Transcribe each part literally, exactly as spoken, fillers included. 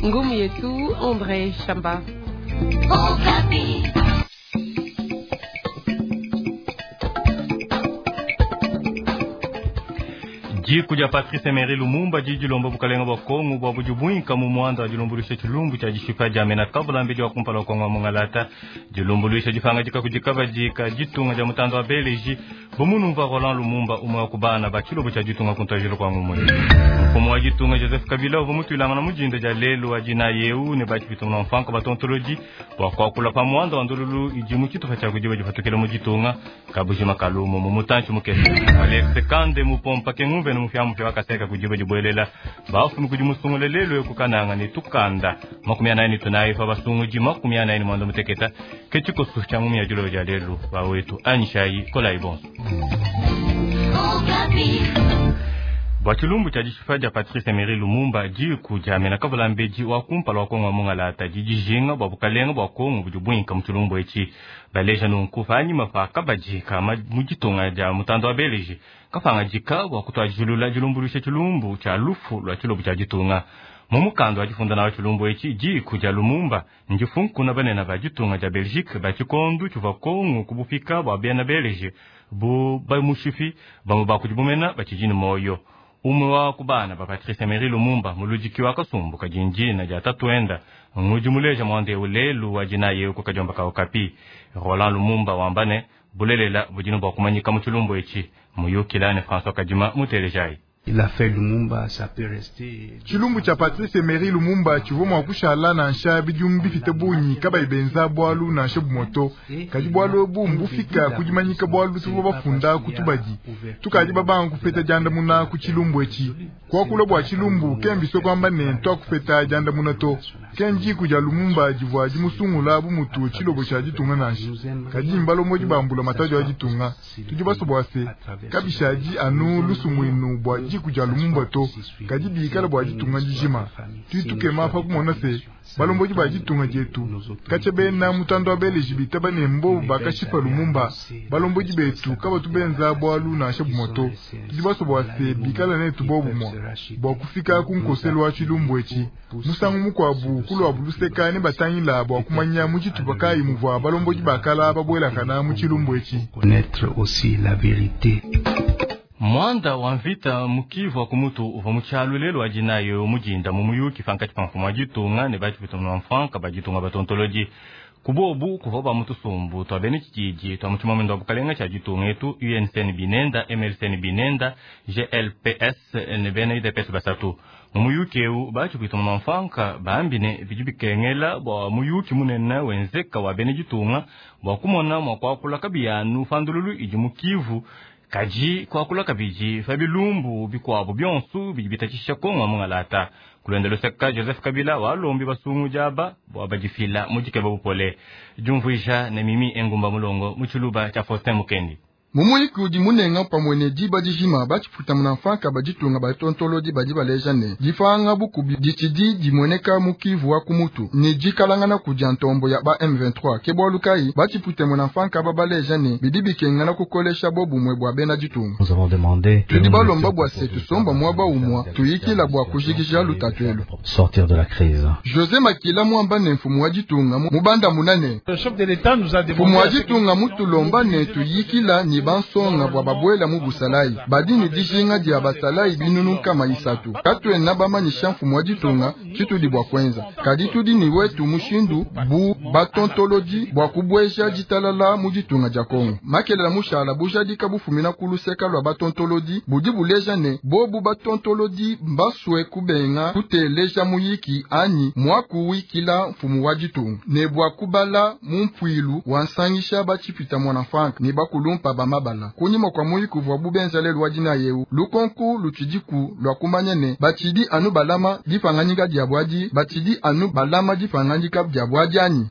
Ngumu yetu Andre Shamba. Diku dia Patrice Emery Lumumba didi dilomba bukalenga bua Kongo bua budi buinka mu muanda wa dilumbuluisha tshilumbu tshia dishipa dia mena kabula mbedi wa kumpala wa Kongo wa mungalata. Dilumbuluisha dipangadika kudi kabadi ka ditunga dia mutanda wa Beleji bumunumva Roland Lumumba, umwe wa kubana ba tshilobo tshia ditunga kuntajilo kwa ngumwe. Mfumu wa ditunga Joseph Kabila uvua mutuilangana mujinda dia lelu wa dina yeu ne batshipita mu mfanko batontolodi bua kuakula pa muanda wa ndululu idi mu tshitupa tshia kudiba dipatukila mu ditunga kabujima kalumo mu mutantshi mukese. Alex Kande mupompa ke ngumve ne mufya wakaseka kudiba dibuelela bafumi kudi musungule lelu ekukananga ne tukanda makumi anayi ne tunayi pa basunguji makumi anayi ne mwanda muteketa ke tshikoso tshia ngumi ya dilobo dia lelu bawetu anyishayi kolayi bonso. Bua tshilumbu tshia dishipa dia Patrice Emery Lumumba, diku dia mena kavula mbedi wa kumpala wa Kongo wa mungalata didi dijinga bua bukalenga bua Kongo budi buinka mu tshilumbu etshi. Baleja nunku panyima pa kabadi ka mu ditunga dia mutanda wa Beleji kapangadika bua kutuadijilula dilumbuluisha tshilumbu tshia lufu lua tshilobo tshia ditunga. Mu mukanda wa difunda nawo tshilumbu etshi, diku dia Lumumba ndifunkuna banene ba ditunga dia Belgique ba tshikondu tshivua Kongo kubupika bua bena Beleji bu bamushipi bamue ba kudi bumena batshidi ne moyo. Umwe wa kubana ba Patrice Emery Lumumba, muludiki wa kasumbu kadinjina dia tatuenda ngudi muleja mwande lelu wa dina yewu kukadiomba ka Okapi. Roland Lumumba wambane bulelela budino bua kumanyika mu tshilumbu etshi. Muyukila ne François Kadima mutelejayi. Tshilumbu tshia Patrice Emery Lumumba tshivua mua kushala nansha bidimu bipite bungi kabayi benza bwalu nansha bumoto, kadi bwalu ebu mbufika kudimanyika bwalu tuvua bafunda kutubadi tukadi babanga kupeta diandamuna ku tshilumbu etshi. Kuakula bua tshilumbu kembiso kuamba ne twakupeta diandamuna to. Ke ndiku dia Lumumba divua dimusungula bu mutu tshilobo tshia ditunga nansha, kadi mbalomodi bambula matadi wa ditunga. Tudi baso bua se kabishadi anu lusumuinu bua diku dia Lumumba to, kadi bikala bua ditunga dijima. Tudi tukema pa kumona se balombodi ba ditunga dietu katshia bena mutanda wa Beleji bitaba ne mbobu bakashipa Lumumba, balombodi betu kabatu benza bwalu nansha bumoto. Tudi baso bua se bikala netu bobumua bua kufika ku nkoselo wa tshilumbu etshi. Musangu mukuabu kulwabu luseka ne batangila bua kumanya mu tshitupa kayi muvua balombodi bakala babuelakana mu tshilumbu etshi. Mwanda wa mvita mu Kivu wa kumutu uvua mu tshialu lelu wa dinayi mujinda mu muyuki pankatshi pa mfumu wa ditunga ne batshipita mu mfranka ba ditunga batontolodi. Kubobu kuvua ba mu tusumbu tua bena tshididi tua mu tshimamendo wa bukalenga tshia ditunga etu, U N C ne binenda, M L C ne binenda, G L P S ne bena U D P S basatu. Mu muyuki ewu batshipita mu mfranka bambi ne bidi bikengela bua muyuki munene wenzeka wa bena ditunga bua kumona mua kuakula kabiyanu pandululu idi mu Kivu, kadi kuakula kabidi pa bilumbu bikuabu bionso bidi bitatshisha Kongo wa mungalata. Kulonda luseka Joseph Kabila walombi basungu diaba bua badifila mu dikeba bupole. Diumvuija ne Mimi Engumba Mulongo mu tshiluba tshia Faustin Mukendi. Mumuyiki udi munenga pamue ne diba dijima, batshiputa munamfanka baditunga batontolodi badi baleja ne dipanga bukubi ditshidi dimueneka mu Kivu wa kumutu ne dikalangana kudia ntombo ya ba M vingt-trois. Ke bwalu kayi batshipute munamfanka aba baleja ne bidi bikengela kukolesha bobumue bua bena ditunga. Tudi balomba bua se tusomba muaba umua tuyikila bua kujikija lutatu elu. Sortir de la crise. José Makila mwamba ne mfumu wa ditunga mubanda munane. Mfumu wa ditunga mutulomba ne tuyikila ni bansonga bua babuela mu busalayi. Badi ne dijinga dia basalayi binunu kama isatu. Katuena bamanyisha mfumu wa ditunga tshitudi bua kuenza, kadi tudi ni wetu mushindu bu batontolodi bua kubueja ditalala mu ditunga dia Kongo. Makelela mushala bujadika bufumina ku luseka lua batontolodi budi buleja ne bobu batontolodi mbasue kubenga kuteleja muyiki anyi mwakuwikila mfumu wa ditunga ne bua kubala mu mpwilu wansangisha batshipita mwana frank ne bakulumpa ba mabala. Kunyima kwa muyiki uvua bubenza lelu wa dina yewu, lukonku lutshidiku lua kumanya ne batshidi anu balama dipanganyika dia bwadi batshidi anu balama dipanganyika dia bwadi anyi.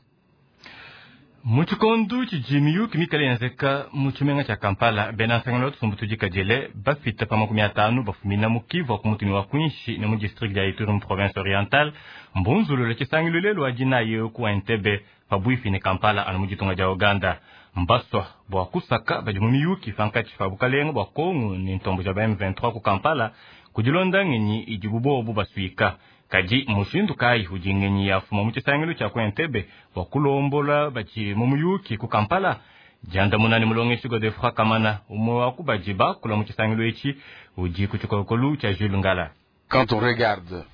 Mu tshikondu tshidi miyuki mikale yenzeka mu tshimenga tshia Kampala, bena nsangano tusumbu tudikadile bafita pa makumi atanu bafumina mu Kivu wa kumutuni wa kwinshi ne mu district dia Ituri mu province orientale mbunzulule tshisangilu lelu wa dinayi ku Entebbe pabuipi ne Kampala anu mu ditunga dia Uganda. Mbaswa bua kusaka badi mu miyuki pankatshi pa bukalenga bua Kongo ne ntombo dia ba M vingt-trois ku Kampala. Kudilonda ngenyi idibu bobu basuika. Kadi mushindu kayi udi ngenyi yafuma mu tshisangilu tshia ku Entebbe bua kulombola badi mu muyuki ku Kampala? Diandamuna ne mulongeshi Godefroid Kamana, umwe wa ku badi bakula mu tshisangilu etshi, udi ku tshikolokolu tshia Jules Ngala. Quand on regarde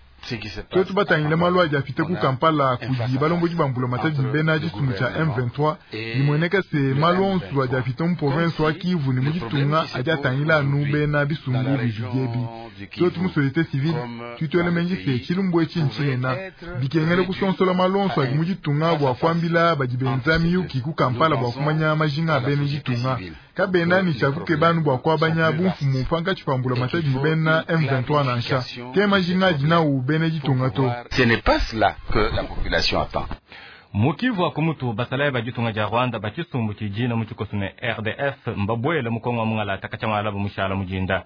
Tuetu batangile malu adi afita ku Kampala kudi balombodi ba mbulamatadi bena tshisumbu tshia M vingt-trois, bimueneka se malu onso adi afita mu province wa Kivu ne mu ditunga adi atangila anu bena bisumbu bibidi ebi. Tuetu mu société civile tutuele menji se tshilumbu etshi ntshinena bikengele kusonsola malu onso adi mu ditunga bua kuambila badi benza miyuki ku Kampala bua kumanya majinga a bena ditunga. Kabena ni tshia kukeba bua kuabanya bumfumu pankatshi pa mbulamatadi bena M vingt-trois nansha. Ke majinga adi nawu bena ditunga to. Ce n'est pas cela que la population attend. Mukivu wa kumutu basalayi ba ditunga dia Rwanda ba tshisumbu tshijina mu tshikoso ne R D F mbabwele mu Kongo wa Mungalata katshamala bamushala mujinda.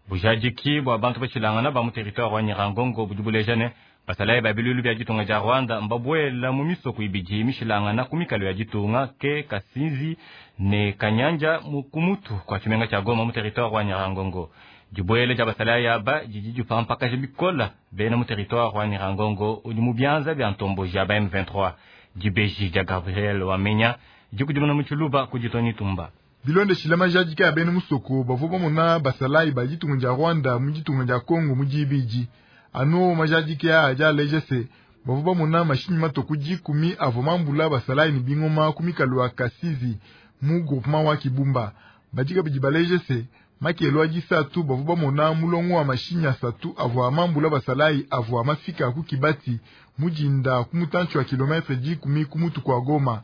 Bujadiki bua bantu bashilangana ba mu territoire wa Nyiragongo budi buleja ne basalayi ba bilulu bia ditunga dia Rwanda mbabwela mu misoko ibidi mishilangana ku mikalo ya ditunga ke Kasinzi ne Kanyanja mu kumutu kwa tshimenga tshia Goma mu territoire wa Nyiragongo. Dibwele dia basalayi aba didi dipampakaja bikola bena mu territoire wa Nyiragongo udi mu bianza bia ntomboji ya ba M vingt-trois. Dibeji dia Gabriel Wamenya dikudimuna mu Tshiluba ku Ditoni Tumba. Bilonde shilama jadika ya bena musoko bavua bamona basalayi ba ditunga dia Rwanda mu ditunga dia Congo mu dibidi. Anu majadika ya adi aleja se bavua bamona mashinyi mato dikumi avua mambula basalayi ne bingoma ku mikalo ya Kasizi mu groupement wa Kibumba. Badika bidi baleja se makelo a disatu bavua bamona mulongo wa mashinyi asatu avua mambula basalayi avua mafika ku Kibati mujinda ku mutantshi wa kilometre dikumi ku mutu kwa Goma.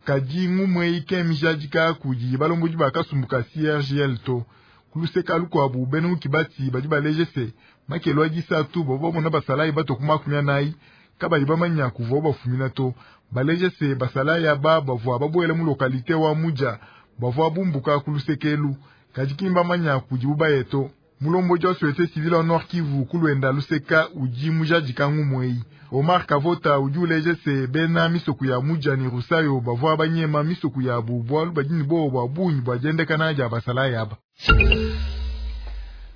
Kadi ngumwe ike mijadika kudi balombodi ba kasumbu ka C R G L to. Kuluseka lukwabu bena mu Kibati badi baleje se makelo a disatu bavua bamona basalayi bato ku makumi anayi kabayi bamanya kuvua bafumina to. Baleje se basalayi aba bavua babwela mu lokalite wa Muja bavua bumbuka kulusekelu kadi kimba manya kudi bubayeto. Mulombodi wa société civile wa Nord Kivu kulwenda luseka udi mujadika ngumweyi. Omar Kavota udi uleje se bena misoku ya Muja ni Rusayo bavua banyema misoku ya bubwalu badini bo bwa bunyi bwa jendekana ja basalayi aba.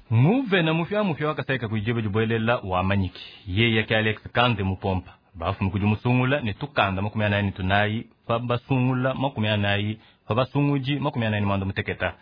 Muvena mufya mufya wakasaika kujiba jibwelela wa manyiki. Yeye ke Alex Kande mupompa. Bafu mukudi musungula ne tukanda makumi anayi ne tunayi pa basungula makumi anayi pa basunguji makumi anayi ne mwanda muteketa.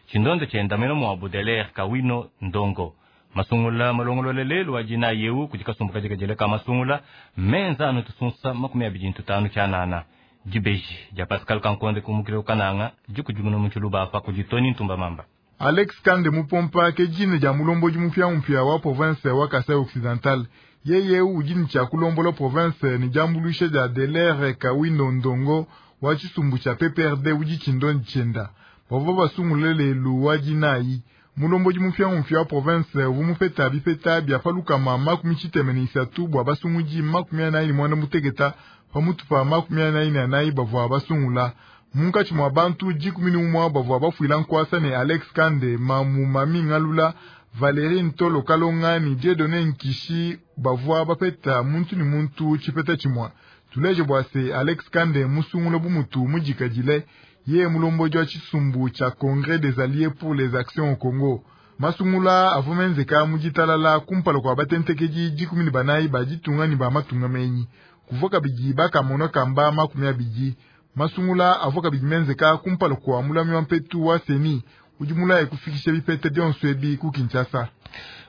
Chindondo chenda meno mwa Baudelaire Kawino Ndongo. Masungula malongolole lelu wa jina yeu kudi kasumbu kajikajele ka masungula menza anu tusunsa makumi abidi ntutanu tshianana. Dibeji dia Pascal Kankonde kumukile ukananga dikudimuna mu Tshiluba apa kudi Tony Ntumba Mamba. Alex Kande mupompa ke jina dia mulombodi mupya mpya wa province wa Kasai Occidental. Yeye udi ni tshia kulombola province ni diambuluisha dia Delaire Kawino Ndongo wa tshisumbu tshia P P R D udi tshindondi tshienda. Bavua basungule lelu wa dinayi. Mulombodi mupya mpya wa province uvua mupeta bipeta bia palukama makumi tshitema ne isatu bua basungudi makumi anayi ne mwanda muteketa pamutu pa makumi anayi ne anayi bavua basungula. Munkatshi mua bantu dikumi ne umue bavua bafuila nkuasa ne Alex Kande, Mamu Mami Ngalula, Valérie Ntolo Kalonga ne Dieudonné Nkishi bavua bapeta muntu ne muntu tshipeta tshimue. Tuleje bua se Alex Kande musungula bumutu mudikadile ye mulombodi wa tshisumbu tshia Congrès des Alliés pour les Actions au Congo. Masungula avua menzeka mu ditalala kumpala kua batentekedi dikumi ne banayi ba ditunga ne ba matunga menyi. Kuvua kabidi bakamona kamba makumi abidi. Masungula avua kabidi menzeka kumpala kua mulami wa mpetu wa Seni udi mulaye kufikisha bipete bionso ebi ku Kinshasa.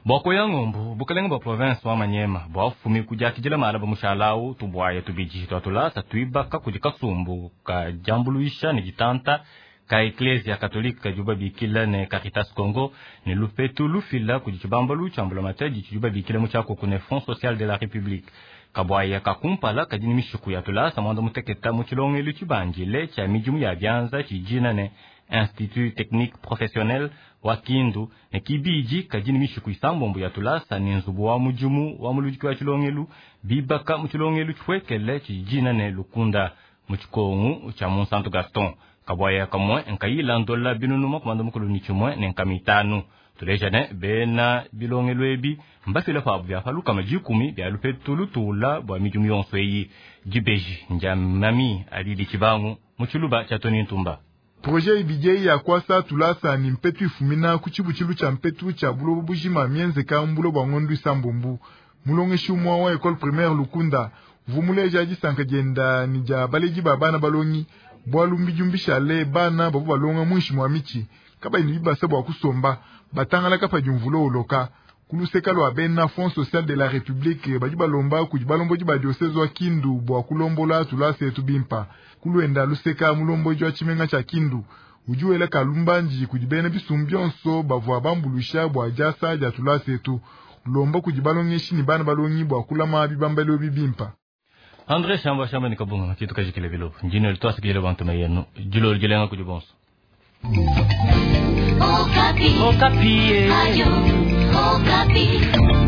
Bwako ya ngombu bukalenge bwa province wa Manyema bwafumi kujakijila mala bamushalau tubwaya tubiji twatulasa twibaka kudi kasumbu ka jambuluisha ne ditanta ka Ecclesia Katolika juba bikila ne Caritas Congo ne lupetu lufila kudi tshibambalu tshia mbulamatadi tshijuba bikila mu tshiakuku ne Fonds Social de la République. Kabwaya kakumpala kadi ni mishuku ya tulasa mwanda muteketa mu tshilongelu tshibanjile tshia midimu ya byanza tshijina ne Institut Technique Professionnel wa Kindu ne kibiji kadi ni mishuku isambombo ya tulasa ne nzubu wa mudimu wa muludiki wa tshilongelu bibaka mu tshilongelu tshipuekele tshijina ne Lukunda mu tshikongu tshia Monsanto Gaston. Kabwaya kamwe nkayila ndola binunu makumanda mukulu ni tshimwe ne nkamitanu. Tuleja ne bena bilongelu ebi mbafila pabu bya palukama dikumi bya lupetu lutula bwa midimu yonso eyi. Dibeji ndia mami alili tshibangu mu Tshiluba tshia Tony Ntumba. Projet ibidi ya kwasa tulasa ni mpetu ifumina ku tshibutshilu tshia mpetu tshia buloba bujima mienzeka mbulo bua ngondu isambombu. Mulongeshi umwa wa école primaire Lukunda vumuleja disanka dienda ni dia baledi ba bana balongi bwalu mbijumbi bana babu balonga mwinshi mwa michi kaba ni bibasa bwa kusomba batangala kapa jumvulo uloka kuluseka lwa bena Fonds social de la République badi balomba kudi balomboji ba diocèse wa Kindu bwa kulombola tulasa etu bimpa kulwenda luseka mulomboji wa tshimenga tshia Kindu ujuwela kalumbanji kudi bena bisumbu byonso bavua bambulusha bwa jasa dia tulasa etu lomba kudi balongeshi ni bana balongi bwa kulama bibambalo bibimpa. André Shamba Shamba ni kabunga kitu kajikile bilo njino litwasa kile bantu mayenu jilo lijelenga kudi bonso. Okapi. Okapi. Ayo. Okapi.